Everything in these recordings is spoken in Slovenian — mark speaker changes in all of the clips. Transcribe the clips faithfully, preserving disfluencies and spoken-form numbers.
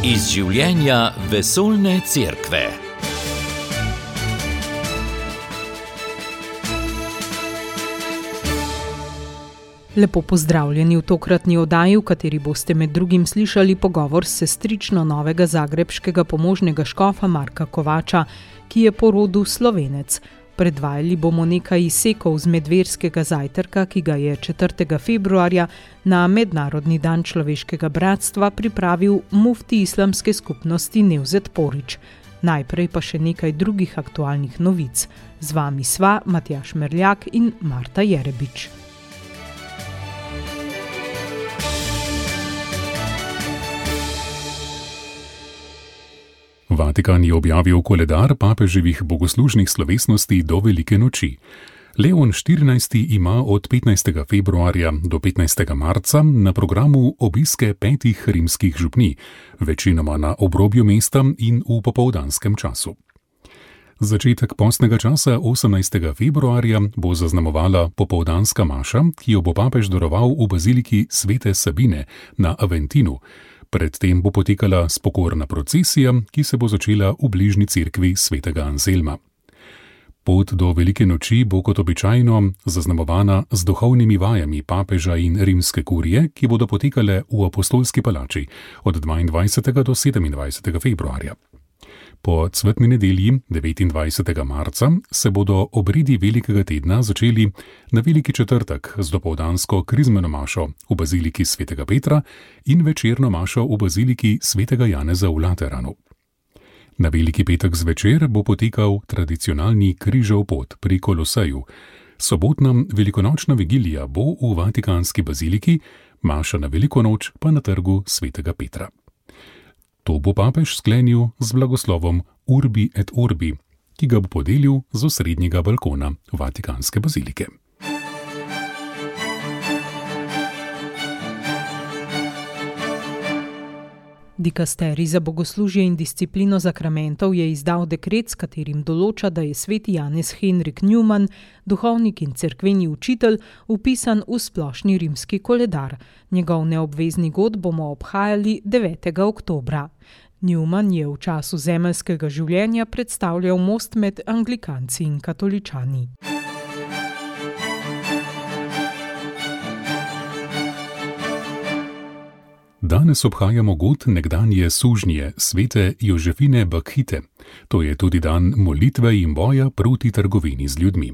Speaker 1: Iz življenja vesoljne cerkve.
Speaker 2: Lepo pozdravljeni v tokratni oddaji, v kateri boste med drugim slišali pogovor s sestrično novega zagrebškega pomožnega škofa Marka Kovača, ki je po rodu Slovenec. Predvajali bomo nekaj izsekov z medverskega zajtrka, ki ga je četrtega februarja na Mednarodni dan človeškega bratstva pripravil mufti islamske skupnosti Nevzet Porić. Najprej pa še nekaj drugih aktualnih novic. Z vami sva Matjaž Merljak in Marta Jerebič.
Speaker 3: Vatikan je objavil koledar papeževih bogoslužnih slovesnosti do Velike noči. Leon štirinajsti ima od petnajstega februarja do petnajstega marca na programu obiske petih rimskih župnij, večinoma na obrobju mesta in v popoldanskem času. Začetek postnega časa osemnajstega februarja bo zaznamovala popoldanska maša, ki jo bo papež daroval v baziliki Svete Sabine na Aventinu. Predtem bo potekala spokorna procesija, ki se bo začela v bližnji cerkvi svetega Anselma. Pot do Velike noči bo kot običajno zaznamovana z duhovnimi vajami papeža in rimske kurije, ki bodo potekale v Apostolski palači od dvaindvajsetega do sedemindvajsetega februarja. Po cvetni nedelji devetindvajsetega marca se bodo obredi velikega tedna začeli na Veliki četrtek z dopoldansko krizmeno mašo v baziliki svetega Petra in večerno mašo v baziliki svetega Janeza v Lateranu. Na Veliki petek zvečer bo potekal tradicionalni križev pot pri Koloseju. Sobotna velikonočna vigilija bo v Vatikanski baziliki, maša na Veliko noč pa na trgu svetega Petra. To bo papež sklenil z blagoslovom Urbi et Orbi, ki ga bo podelil z osrednjega balkona Vatikanske bazilike.
Speaker 2: Dikasterij za bogoslužje in disciplino zakramentov je izdal dekret, s katerim določa, da je sveti Janez Henrik Newman, duhovnik in cerkveni učitelj, vpisan v splošni rimski koledar. Njegov neobvezni god bomo obhajali devetega oktobra. Newman je v času zemeljskega življenja predstavljal most med anglikanci in katoličani.
Speaker 3: Danes obhajamo god nekdanje sužnje svete Jožefine Bakhite. To je tudi dan molitve in boja proti trgovini z ljudmi.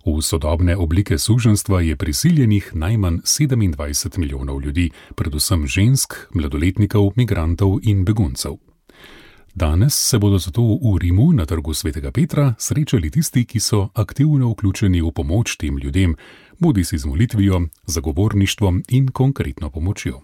Speaker 3: V sodobne oblike suženjstva je prisiljenih najmanj sedemindvajset milijonov ljudi, predvsem žensk, mladoletnikov, migrantov in beguncev. Danes se bodo zato v Rimu na trgu svetega Petra srečali tisti, ki so aktivno vključeni v pomoč tem ljudem, bodisi z molitvijo, zagovorništvom in konkretno pomočjo.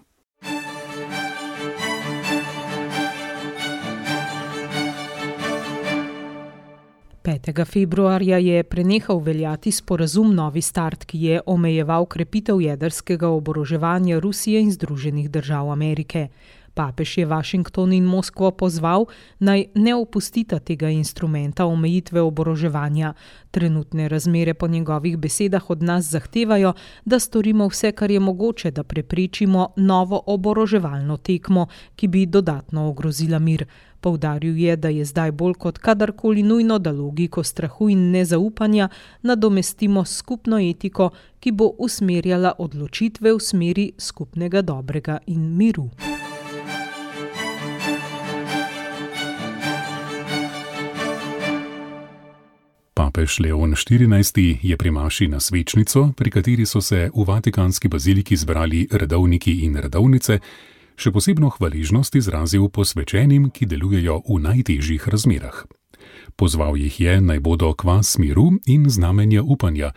Speaker 2: petega februarja je prenehal veljati sporazum Novi start, ki je omejeval krepitev jedrskega oboroževanja Rusije in Združenih držav Amerike. Papež je Washington in Moskvo pozval, naj ne opustita tega instrumenta omejitve oboroževanja. Trenutne razmere po njegovih besedah od nas zahtevajo, da storimo vse, kar je mogoče, da preprečimo novo oboroževalno tekmo, ki bi dodatno ogrozila mir. Poudaril je, da je zdaj bolj kot kadarkoli nujno, da logiko strahu in nezaupanja nadomestimo s skupno etiko, ki bo usmerjala odločitve v smeri skupnega dobrega in miru.
Speaker 3: Papež Leon štirinajsti je pri maši na svečnico, pri kateri so se v Vatikanski baziliki zbrali redovniki in redovnice, še posebno hvaležnost izrazil posvečenim, ki delujejo v najtežjih razmerah. Pozval jih je, naj bodo kvas miru in znamenja upanja,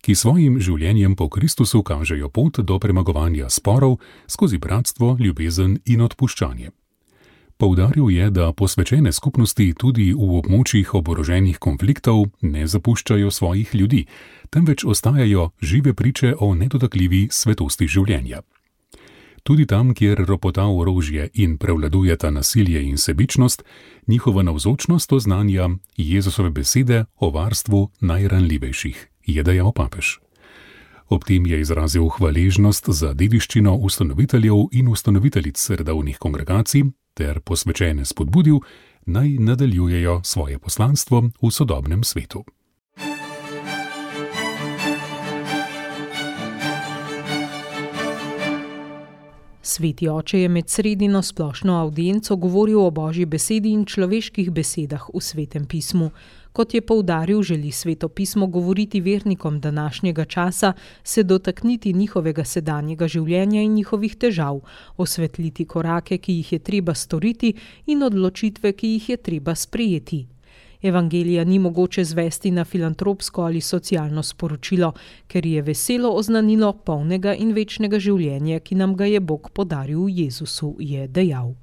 Speaker 3: ki svojim življenjem po Kristusu kažejo pot do premagovanja sporov skozi bratstvo, ljubezen in odpuščanje. Poudaril je, da posvečene skupnosti tudi v območjih oboroženih konfliktov ne zapuščajo svojih ljudi, temveč ostajajo žive priče o nedotakljivi svetosti življenja. Tudi tam, kjer ropota orožje in prevladujeta nasilje in sebičnost, njihova navzočnost oznanja Jezusove besede o varstvu najranljivejših, je dejal papež. Ob tem je izrazil hvaležnost za dediščino ustanoviteljev in ustanoviteljic redovnih kongregacij ter posvečene spodbudil, naj nadaljujejo svoje poslanstvo v sodobnem svetu.
Speaker 2: Sveti oče je med sredino splošno avdienco govoril o Božji besedi in človeških besedah v Svetem pismu. Kot je poudaril, želi Sveto pismo govoriti vernikom današnjega časa, se dotakniti njihovega sedanjega življenja in njihovih težav, osvetliti korake, ki jih je treba storiti, in odločitve, ki jih je treba sprejeti. Evangelija ni mogoče zvesti na filantropsko ali socialno sporočilo, ker je veselo oznanilo polnega in večnega življenja, ki nam ga je Bog podaril v Jezusu, je dejal.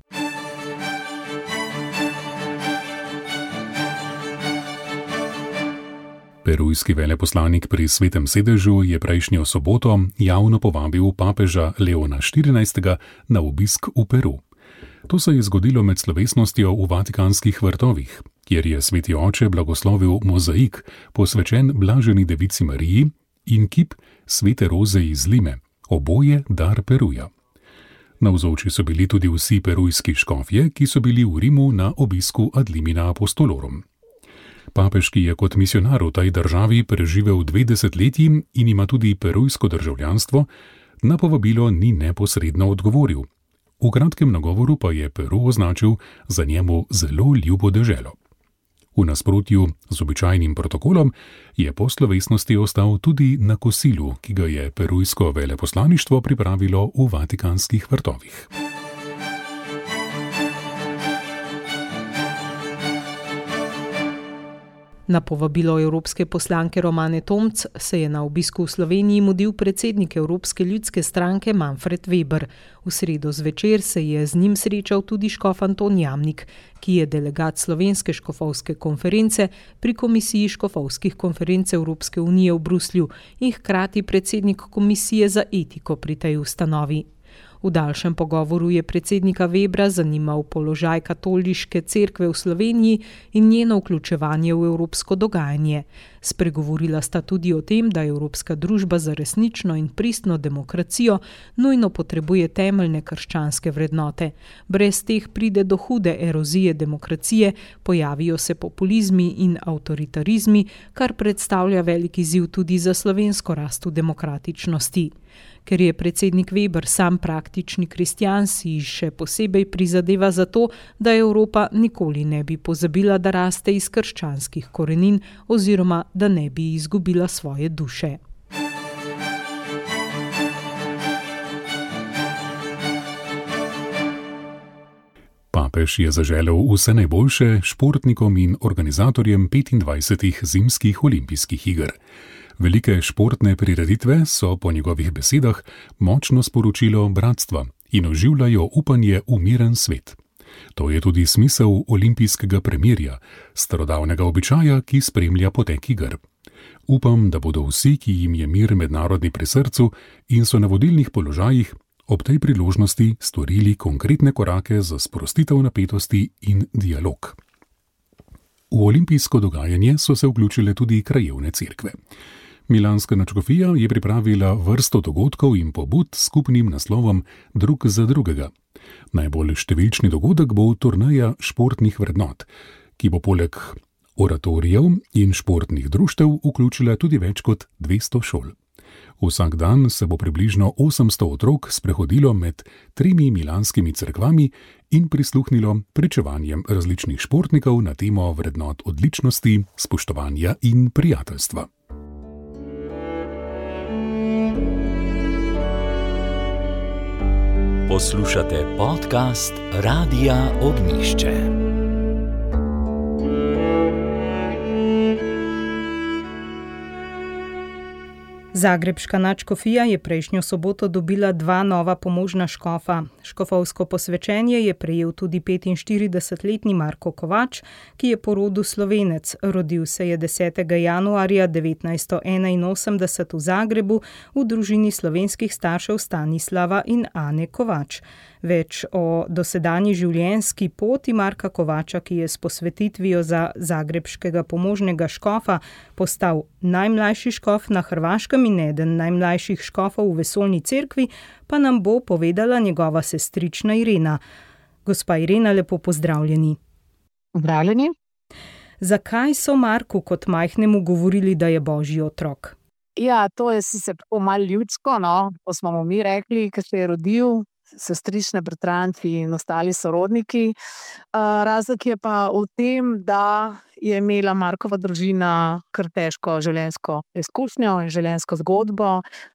Speaker 3: Perujski veleposlanik pri Svetem sedežu je prejšnjo soboto javno povabil papeža Leona štirinajstega na obisk v Peru. To se je zgodilo med slovesnostjo v Vatikanskih vrtovih, kjer je Sveti oče blagoslovil mozaik, posvečen Blaženi devici Mariji, in kip Svete Roze iz Lime, oboje dar Peruja. Navzoči so bili tudi vsi perujski škofje, ki so bili v Rimu na obisku ad limina apostolorum. Papež, ki je kot misionar v tej državi preživel dve desetletji in ima tudi perujsko državljanstvo, na povabilo ni neposredno odgovoril. V kratkem nagovoru pa je Peru označil za njemu zelo ljubo deželo. V nasprotju z običajnim protokolom je po slovesnosti ostal tudi na kosilu, ki ga je perujsko veleposlaništvo pripravilo v Vatikanskih vrtovih.
Speaker 2: Na povabilo evropske poslanke Romane Tomc se je na obisku v Sloveniji mudil predsednik Evropske ljudske stranke Manfred Weber. V sredo zvečer se je z njim srečal tudi škof Anton Jamnik, ki je delegat Slovenske škofovske konference pri Komisiji škofovskih konferenc Evropske unije v Bruslju in hkrati predsednik Komisije za etiko pri tej ustanovi. V daljšem pogovoru je predsednika Webra zanimal položaj katoliške cerkve v Sloveniji in njeno vključevanje v evropsko dogajanje. Spregovorila sta tudi o tem, da Evropska družba za resnično in pristno demokracijo nujno potrebuje temeljne krščanske vrednote. Brez teh pride do hude erozije demokracije, pojavijo se populizmi in avtoritarizmi, kar predstavlja velik izziv tudi za slovensko rast v demokratičnosti. Ker je predsednik Weber sam praktični kristjan, si še posebej prizadeva za to, da Evropa nikoli ne bi pozabila, da raste iz krščanskih korenin oziroma da ne bi izgubila svoje duše.
Speaker 3: Papež je zaželel vse najboljše športnikom in organizatorjem petindvajsetih zimskih olimpijskih iger. Velike športne prireditve so po njegovih besedah močno sporočilo bratstva in oživljajo upanje v miren svet. To je tudi smisel olimpijskega premirja, starodavnega običaja, ki spremlja potek iger. Upam, da bodo vsi, ki jim je mir mednarodni pri srcu in so na vodilnih položajih, ob tej priložnosti storili konkretne korake za sprostitev napetosti in dialog. V olimpijsko dogajanje so se vključile tudi krajevne cerkve. Milanska nadškofija je pripravila vrsto dogodkov in pobud s skupnim naslovom Drug za drugega. Najbolj številčni dogodek bo turneja športnih vrednot, ki bo poleg oratorijev in športnih društev vključila tudi več kot dvesto šol. Vsak dan se bo približno osemsto otrok sprehodilo med tremi milanskimi cerkvami in prisluhnilo pričevanjem različnih športnikov na temo vrednot odličnosti, spoštovanja in prijateljstva.
Speaker 1: Poslušate podcast Radia Ognjišče.
Speaker 2: Zagrebška nadškofija je prejšnjo soboto dobila dva nova pomožna škofa. Škofovsko posvečenje je prejel tudi petinštiridesetletni Marko Kovač, ki je po rodu Slovenec. Rodil se je desetega januarja devetnajststo enainosemdeset v Zagrebu v družini slovenskih staršev Stanislava in Ane Kovač. Več o dosedanji življenjski poti Marka Kovača, ki je s posvetitvijo za zagrebškega pomožnega škofa postal najmlajši škof na Hrvaškem in eden najmlajših škofov v vesoljni cerkvi, pa nam bo povedala njegova sestrična Irena. Gospa Irena, lepo pozdravljeni.
Speaker 4: Pozdravljeni.
Speaker 2: Zakaj so Marku kot majhnemu govorili, da je božji otrok?
Speaker 4: Ja, to je sicer tako malo ljudsko, no, to smo mu mi rekli, ko se je rodil, sestrične, bratranci in ostali sorodniki. Uh, razlog je pa v tem, da je imela Markova družina kar težko življenjsko izkušnjo in življenjsko zgodbo.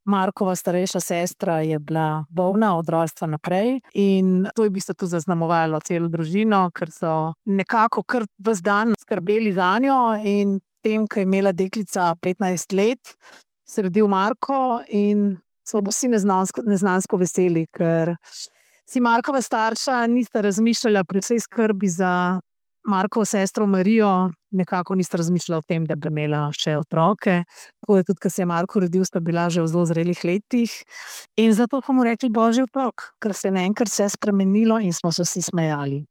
Speaker 4: Markova starejša sestra je bila bolna od rojstva naprej in to je v bistvu tudi zaznamovalo celo družino, ker so nekako kar ves dan skrbeli zanjo in tem, ko je imela deklica petnajst let, se je rodil Marko in smo vsi neznansko, neznansko veseli, ker si Markova starša nista razmišljala pri vsej skrbi za Markovo sestro Marijo, nekako nista razmišljala o tem, da bi imela še otroke. Tako je tudi, ko se je Marko rodil, sta bila že v zelo zrelih letih. In zato smo mu rekli božji otrok, ker se je naenkrat vse spremenilo in smo se vsi smejali.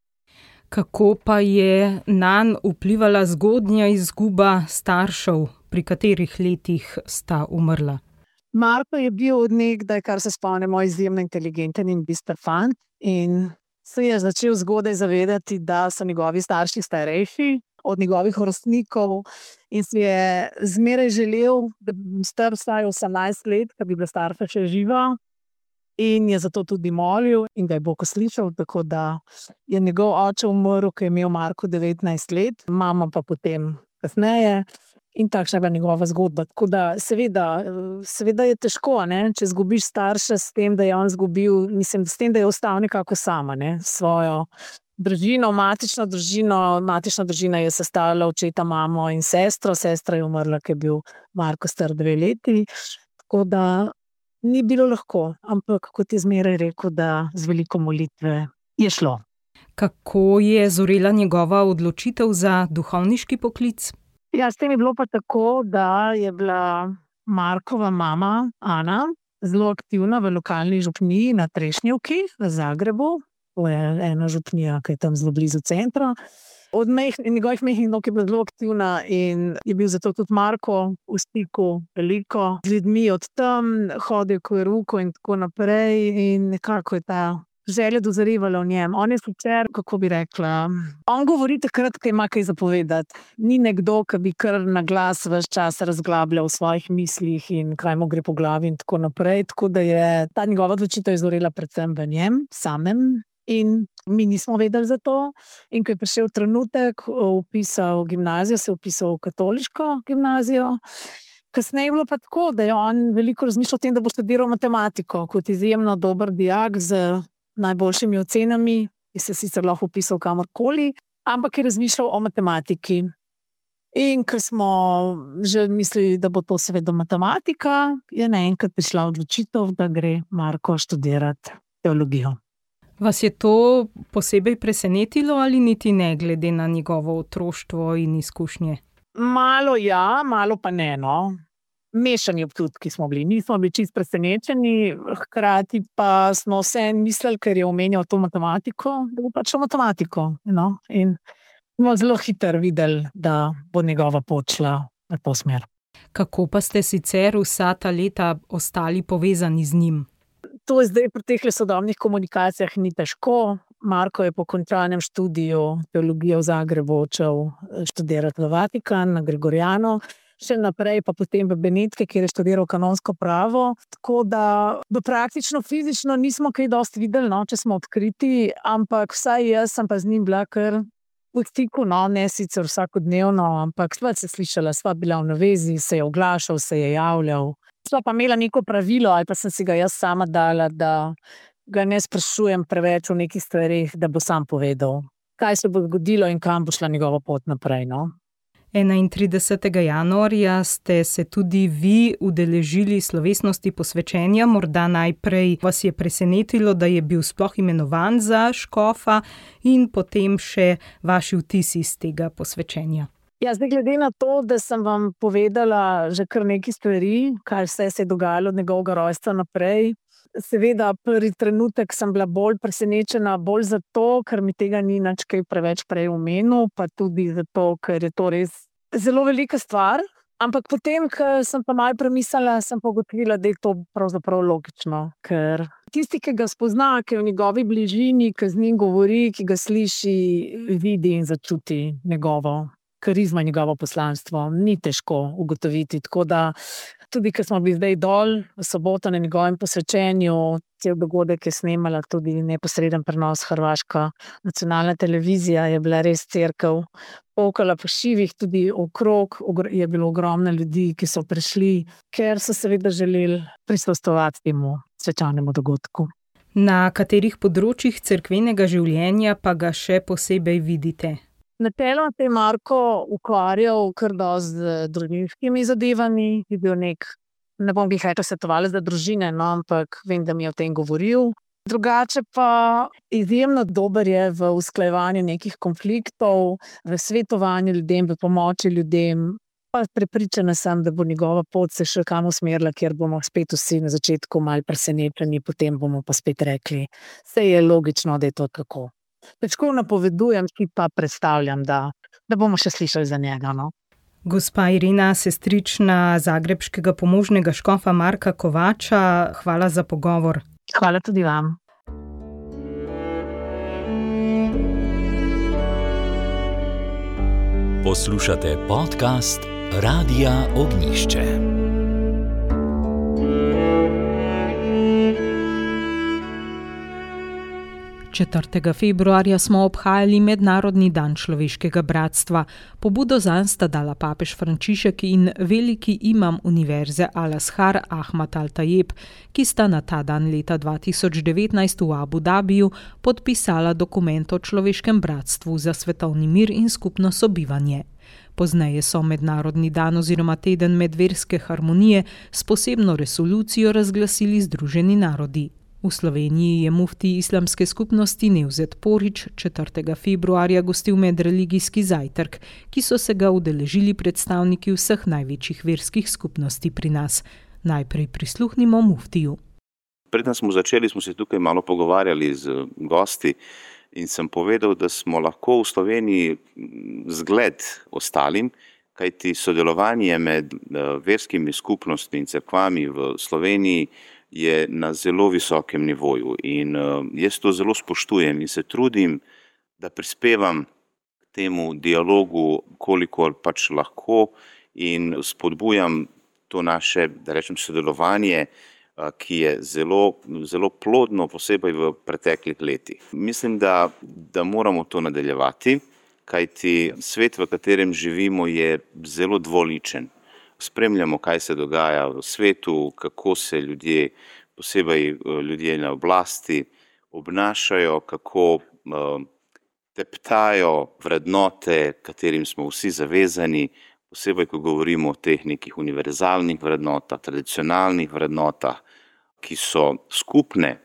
Speaker 2: Kako pa je nanj vplivala zgodnja izguba staršev, pri katerih letih sta umrla?
Speaker 4: Marko je bil od nekdaj, kar se spomnimo, izjemno inteligenten in bister fant in se je začel zgodaj zavedati, da so njegovi starši starejši od njegovih vrstnikov in si je zmeraj želel, da bi star vsaj osemnajst let, da bi bila starša še živa. In je zato tudi molil in ga je Bog slišal, tako da je njegov oče umrl, ko je imel Marko devetnajst let, mama pa potem kasneje. In takšna je bila njegova zgodba. Tako da seveda, seveda je težko, ne? Če zgubiš starša s tem, da je on zgubil, mislim, s tem, da je ostal nekako sama, ne? Svojo družino, matično družino. Matična družina je sestavljala očeta, mamo in sestro. Sestra je umrla, ko je bil Marko star dve leti. Tako da ni bilo lahko, ampak kot je zmeraj rekel, da z veliko molitve je šlo.
Speaker 2: Kako je zorela njegova odločitev za duhovniški poklic?
Speaker 4: Ja, s tem je bilo pa tako, da je bila Markova mama Ana zelo aktivna v lokalni župniji na Trešnjevki v Zagrebu. To je ena župnija, ki je tam zelo blizu centra. Od mejh, njegovih majhnih nog je bila zelo aktivna in je bil zato tudi Marko v stiku veliko z ljudmi od tam, hodil k verouku in tako naprej in nekako je ta želja dozorivala v njem. On je sicer, kako bi rekla, on govori takrat, ko ima kaj zapovedati. Ni nekdo, ki bi kar na glas ves čas razglabljal v svojih mislih in kaj mu gre po glavi in tako naprej. Tako da je ta njegova odločitev izorela predvsem v njem samem in mi nismo vedeli za to. In ko je prišel trenutek, vpisal gimnazijo, se je vpisal v katoliško gimnazijo. Kasneje je bilo pa tako, da je on veliko razmišljal o tem, da bo študiral matematiko kot izjemno dober dijak z najboljšimi ocenami, ki se sicer lahko vpisal kamorkoli, ampak je razmišljal o matematiki. In ker smo že mislili, da bo to seveda matematika, je naenkrat prišla odločitev, da gre Marko študirati teologijo.
Speaker 2: Vas je to posebej presenetilo ali niti ne, glede na njegovo otroštvo in izkušnje?
Speaker 4: Malo ja, malo pa ne, no. Mešani občutki smo bili, nismo bili čisto presenečeni, hkrati pa smo vse mislili, ker je omenjal to matematiko, da bo pač matematiko. No? In smo zelo hitro videli, da bo njegova pot šla v to smer.
Speaker 2: Kako pa ste sicer vsa ta leta ostali povezani z njim?
Speaker 4: To je zdaj pri teh sodobnih komunikacijah ni težko. Marko je po končanem študiju teologije v Zagrebu odšel študirati v Vatikan, na Gregoriano. Še naprej pa potem v Benetke, kjer je študiral kanonsko pravo. Tako da praktično fizično nismo kaj dosti videli, no, če smo odkriti, ampak vsaj jaz sem pa z njim bila kar v stiku, no, ne sicer vsakodnevno, ampak sva se slišala, sva bila v navezi, se je oglašal, se je javljal. Sva pa imela neko pravilo, ali pa sem si ga jaz sama dala, da ga ne sprašujem preveč o nekih stvarih, da bo sam povedal, kaj se bo zgodilo in kam bo šla njegova pot naprej, no.
Speaker 2: enaintridesetega januarja ste se tudi vi udeležili slovesnosti posvečenja. Morda najprej vas je presenetilo, da je bil sploh imenovan za škofa in potem še vaši vtisi iz tega posvečenja.
Speaker 4: Ja, zdaj glede na to, da sem vam povedala že kar nekaj stvari, kaj vse se je dogajalo od njegovega rojstva naprej. Seveda, prvi trenutek sem bila bolj presenečena, bolj zato, ker mi tega ni nič kaj preveč prej omenil, pa tudi zato, ker je to res zelo velika stvar. Ampak potem, ko sem pa malo premislila, sem pa ugotovila, da je to pravzaprav logično. Ker tisti, ki ga spozna, ki je v njegovi bližini, ki z njim govori, ki ga sliši, vidi in začuti njegovo karizmo, njegovo poslanstvo. Ni težko ugotoviti. Tako da tudi, ko smo bili zdaj dol v soboto na njegovem posvečenju, cel dogodek je snemala tudi neposreden prenos Hrvaška nacionalna televizija, je bila res cerkev pokala po šivih, tudi okrog je bilo ogromno ljudi, ki so prišli, ker so seveda želeli prisostvovati temu svečanemu dogodku.
Speaker 2: Na katerih področjih cerkvenega življenja pa ga še posebej vidite?
Speaker 4: Načeloma se je Marko ukvarjal kar dosti z družinskimi zadevami, je bil nek, ne bom glih rekla svetovalec za družine, no, ampak vem, da mi je o tem govoril. Drugače pa izjemno dober je v usklajevanju nekih konfliktov, v svetovanju ljudem, v pomoči ljudem. Pa prepričana sem, da bo njegova pot se še kam usmerila, kjer bomo spet vsi na začetku malo presenečeni, potem bomo pa spet rekli, saj je logično, da je to tako. Težko napovedujem, ki pa predstavljam, da, da bomo še slišali za njega. No?
Speaker 2: Gospa Irena, sestrična zagrebškega pomožnega škofa Marka Kovača, hvala za pogovor.
Speaker 4: Hvala tudi vam.
Speaker 1: Poslušate podcast Radia Ognjišče.
Speaker 2: četrtega februarja smo obhajali Mednarodni dan človeškega bratstva. Pobudo zanj sta dala papež Frančišek in veliki imam univerze Al-Azhar Ahmad Al-Tajeb, ki sta na ta dan leta dva tisoč devetnajst v Abu Dabiju podpisala dokument o človeškem bratstvu za svetovni mir in skupno sobivanje. Pozneje so Mednarodni dan oziroma teden medverske harmonije s posebno resolucijo razglasili Združeni narodi. V Sloveniji je mufti islamske skupnosti Nevzet Porić četrtega februarja gostil medreligijski zajtrk, ki so se ga udeležili predstavniki vseh največjih verskih skupnosti pri nas. Najprej prisluhnimo muftiju.
Speaker 5: Preden smo začeli, smo se tukaj malo pogovarjali z gosti in sem povedal, da smo lahko v Sloveniji zgled ostalim, kajti sodelovanje med verskimi skupnostmi in cerkvami v Sloveniji je na zelo visokem nivoju in uh, jaz to zelo spoštujem in se trudim, da prispevam k temu dialogu, kolikor pač lahko in spodbujam to naše, da rečem, sodelovanje, uh, ki je zelo, zelo plodno, posebej v preteklih letih. Mislim, da, da moramo to nadaljevati, kajti svet, v katerem živimo, je zelo dvoličen. Spremljamo, kaj se dogaja v svetu, kako se ljudje, posebej ljudje na oblasti, obnašajo, kako uh, teptajo vrednote, katerim smo vsi zavezani, posebej, ko govorimo o teh nekih univerzalnih vrednotah, tradicionalnih vrednotah, ki so skupne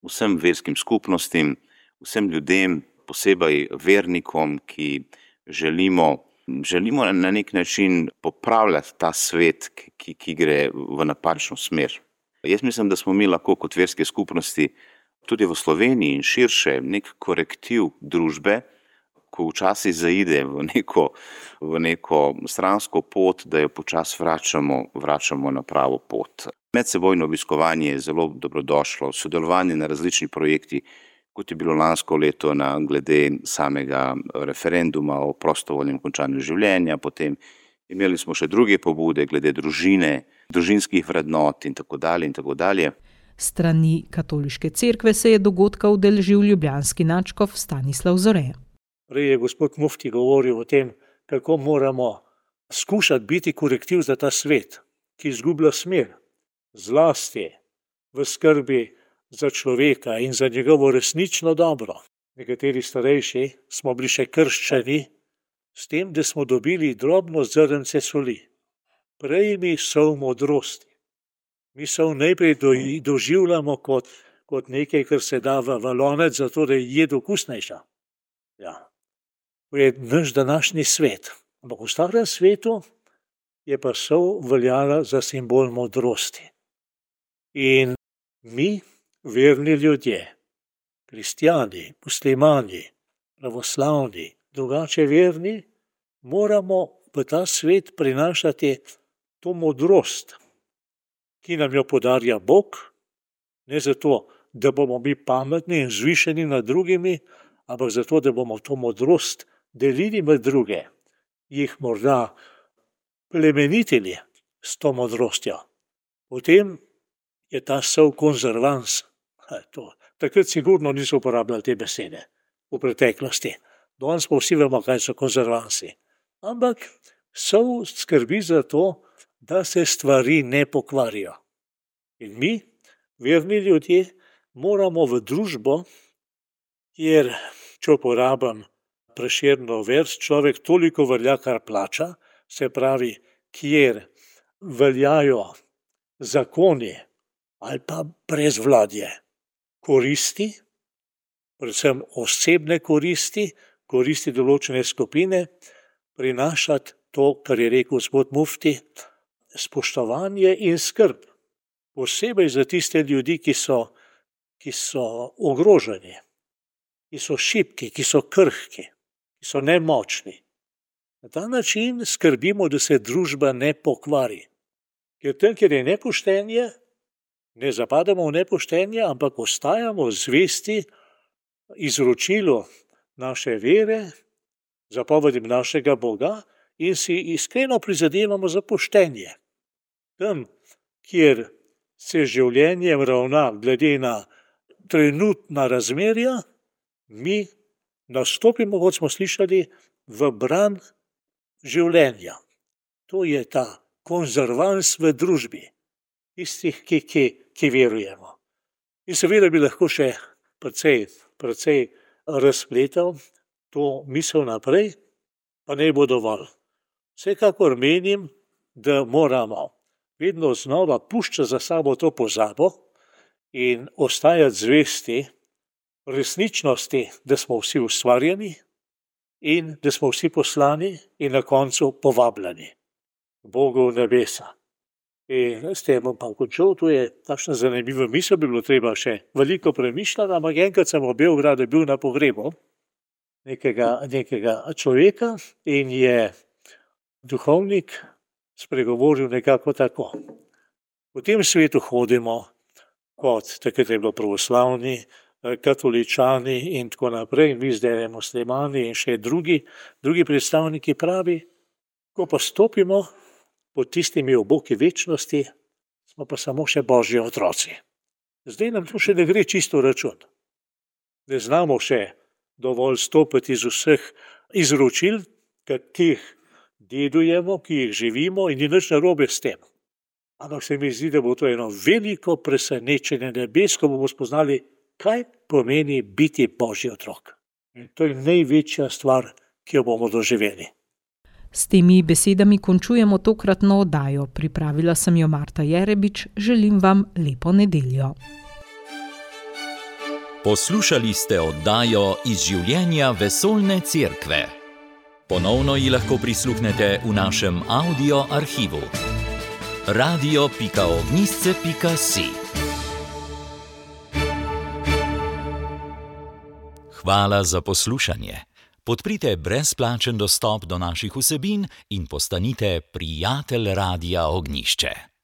Speaker 5: vsem verskim skupnostim, vsem ljudem, posebej vernikom, ki želimo Želimo na nek način popravljati ta svet, ki, ki gre v napačno smer. Jaz mislim, da smo mi lahko kot verske skupnosti tudi v Sloveniji in širše nek korektiv družbe, ko včasih zaide v neko, v neko stransko pot, da jo počasi vračamo, vračamo na pravo pot. Medsebojno obiskovanje je zelo dobrodošlo, sodelovanje na različnih projektih, kot je bilo lansko leto na glede samega referenduma o prostovoljnem končanju življenja, potem imeli smo še druge pobude glede družine, družinskih vrednot in tako dalje in tako dalje.
Speaker 2: Strani katoliške cerkve se je dogodka udeležil ljubljanski nadškof Stanislav Zore.
Speaker 6: Prej je gospod mufti govoril o tem, kako moramo skušati biti korektiv za ta svet, ki izgublja smer, zlasti v skrbi za človeka in za njegovo resnično dobro. Nekateri starejši smo bili še krščani s tem, da smo dobili drobno zrnce soli. Prej mi sol modrosti. Mi sol najprej do, doživljamo kot, kot nekaj, kar se da v valonec, zato da je jed okusnejša. Ja. To je naš današnji svet. Ampak v starem svetu je pa sol veljala za simbol modrosti. In mi, verni ljudje, kristjani, muslimani, pravoslavni, drugače verni, moramo v ta svet prinašati to modrost, ki nam jo podarja Bog, ne zato, da bomo mi pametni in zvišeni nad drugimi, ampak zato, da bomo to modrost delili med druge, jih morda plemenitili s to modrostjo. Potem je ta sol konzervans. To. Takrat sigurno niso uporabljali te besede v preteklosti. Danes pa vsi vemo, kaj so konzervansi. Ampak sol skrbi za to, da se stvari ne pokvarijo. In mi, verni ljudje, moramo v družbo, kjer, če uporabim Prešernov vers, človek toliko velja, kar plača, se pravi, kjer veljajo zakoni ali pa brezvladje, koristi, predvsem osebne koristi, koristi določene skupine, prinašati to, kar je rekel gospod Mufti, spoštovanje in skrb. Posebej za tiste ljudi, ki so, ki so ogroženi, ki so šibki, ki so krhki, ki so nemočni. Na ta način skrbimo, da se družba ne pokvari. Ker tam, kjer je nepoštenje, ne zapadamo v nepoštenje, ampak ostajamo zvesti izročilu naše vere, zapovedim našega Boga in si iskreno prizadevamo za poštenje. Tam, kjer se življenjem ravna glede na trenutna razmerja, mi nastopimo, kot smo slišali, v bran življenja. To je ta konzervans v družbi, tistih, ki, ki, ki verujemo. In seveda bi lahko še precej, precej razpletal to misel naprej, pa ne bo dovolj. Vsekakor menim, da moramo vedno znova puščati za sabo to pozabo in ostajati zvesti resničnosti, da smo vsi ustvarjeni in da smo vsi poslani in na koncu povabljeni Bogu v nebesa. In s tem bom pa končal, to je takšna zanimiva misel, bi bilo treba še veliko premišljati, ampak enkrat sem v Beogradu bil na pogrebu nekega, nekega človeka in je duhovnik spregovoril nekako tako. V tem svetu hodimo kot, takrat je bilo pravoslavni, katoličani in tako naprej, in vi zdaj muslimani in še drugi, drugi predstavniki pravi, ko pa stopimo pod tistimi oboki večnosti, smo pa samo še Božji otroci. Zdaj nam to še ne gre čisto račun. Ne znamo še dovolj stopiti iz vseh izročil, ki jih dedujemo, ki jih živimo in ni nič narobe s tem. Ampak se mi zdi, da bo to eno veliko presenečenje nebes, ko bomo spoznali, kaj pomeni biti Božji otrok. In to je največja stvar, ki jo bomo doživeli.
Speaker 2: S temi besedami končujemo tokratno oddajo. Pripravila sem jo Marta Jerebič. Želim vam lepo nedeljo.
Speaker 1: Poslušali ste oddajo Iz življenja vesoljne cerkve. Ponovno ji lahko prisluhnete v našem audio arhivu. radio pika ognjišče pika si. Hvala za poslušanje. Podprite brezplačen dostop do naših vsebin in postanite prijatelj Radia Ognjišče.